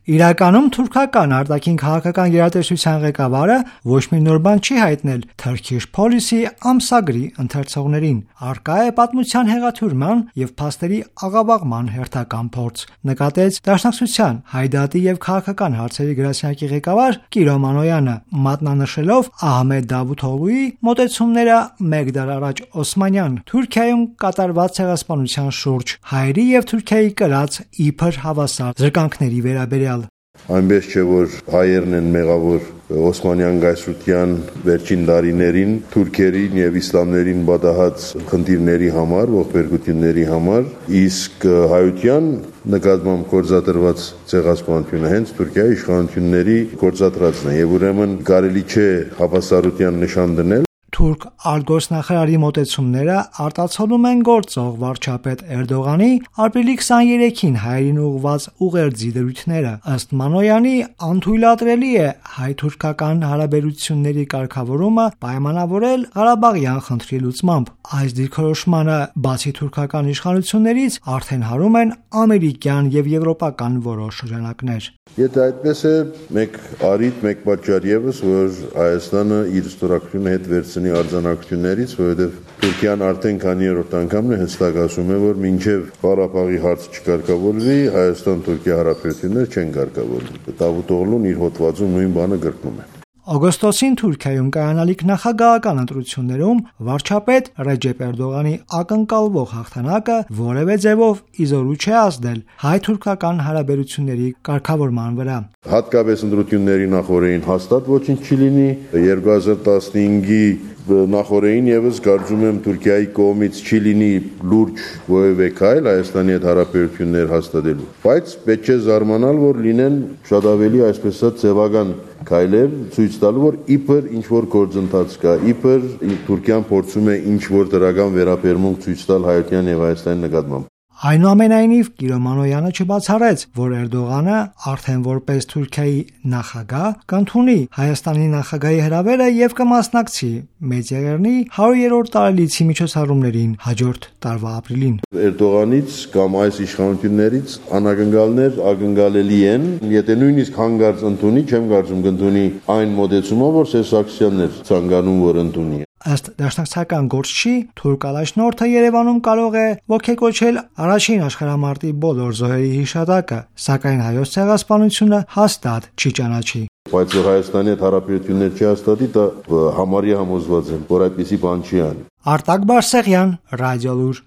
Իրականում թուրքական արտաքին քաղաքական գերատեսչության ղեկավարը ոչ մի նոր բան չի հայտնել Turkish Policy ամսագրի ընթերցողներին։ Առկա է պատմության հեղաթյուրման եւ փաստերի աղավաղման հերթական փորձ, նկատեց Դաշնակցության Հայդատի եւ քաղաքական հարցերի գրասենյակի ղեկավար Կիրո Մանոյանը, մատնանշելով Ահմեդ Դավութօղլուի մոտեցումները մեկ դար առաջ Օսմանյան Թուրքիայում կատարված ցեղասպանության շուրջ հայերի եւ Թուրքիայի կրած իբր հավասար զրկանքների վերաբերյալ։ Այնպես չէ, որ հայերն են մեղավոր Օսմանյան գայսրության վերջին տարիներին թուրքերին եւ իսլամներին բադահած խնդիրների համար, ողբերգությունների համար, իսկ հայության նկատմամբ գործադրված ցեղասպանությունը հենց Թուրքիայի իշխանությունների գործադրածն է եւ ուրեմն կարելի չէ հավասարության նշան դնել։ Թուրք արտգործնախարարի մոտեցումները արտացոլում են գործող վարչապետ Էրդողանի ապրիլի 23-ին հայերին ուղղված ուղերձի դրույթները։ Ըստ Մանոյանի, անթույլատրելի է հայ-թուրքական հարաբերությունների կարգավորումը պայմանավորել Ղարաբաղյան խնդրի լուծմամբ։ Այս դիրքորոշմանը բացի թուրքական իշխանություններից արդեն հարում են ամերիկյան եւ եվրոպական որոշ շրջանակներ։ Եթե այդպես է, մեկ առիթ, մեկ պատճառ եւս, որ Հայաստանը իր ստորագրությունը հետ վերցնի արձանագրություններից, որովհետեւ Թուրքիան արդեն քանի-երորդ անգամն է հստակ ասում է, որ մինչեւ Ղարաբաղի հարցը չկարգավորվի, Հայաստան-Թուրքիա հարաբերություններ չեն կարգավորվի։ Դավութօղլուն իր հոդվածում նույն բանը գրկնում է։ Օգոստոսին Թուրքիայում կայանալիք նախագահական ընտրություններում վարչապետ Ռեջեփ Էրդողանի ակնկալվող հաղթանակը որևէ ձևով իզորու չէ ազդել հայ-թուրքական հարաբերությունների կարգավորման վրա։ Հատկապես ընտրությունների նախորդին հաստատ ոչինչ չի լինի, 2015-ի նախորդին եւս կարծում եմ Թուրքիայի կողմից չի լինի լուրջ որևէ քայլ Հայաստանի հետ հարաբերություններ հաստատելու, բայց պետք չէ զարմանալ, որ լինեն շատ ավելի այսպես ասած ձևական քայլեր ցույց տալու, որ իբր ինչ որ գործընթաց կա, իբր Թուրքիան փորձում է ինչ որ դրական վերաբերմունք ցույց տալ հայության եւ Հայաստանի նկատմամբ։ Այնուամենայնիվ Կիրո Մանոյանը չբացառեց, որ Էրդողանը արդեն որպես Թուրքիայի նախագահ կընդունի Հայաստանի նախագահի հրավերը եւ կմասնակցի Մեծեղեռնի 100-րդ տարելիցի միջոցառումներին հաջորդ տարվա ապրիլին։ Էրդողանից կամ այս իշխանություններից անակնկալներ ակնկալելի են, եթե նույնիսկ հանգարց ընդունի, չեմ կարծում կընդունի այն մոտեցումով, որ Սերժ էր ցանկանում որ ընդունի։ Ըստ դաշնակցական գործչի, թուրք առաջնորդը Երևանում կարող է ոգեկոչել առաջին աշխարհամարտի բոլոր զոհերի հիշատակը, սակայն հայոց ցեղասպանությունը հաստատ չի ճանաչի։ Բայց որ Հայաստանի հետ հարաբերություններ չի հաստատի, դա համարյա համոզված եմ, որ այդպիսի բան չի անի։ Արտակ Բարսեղյան, Ռադիոլուր։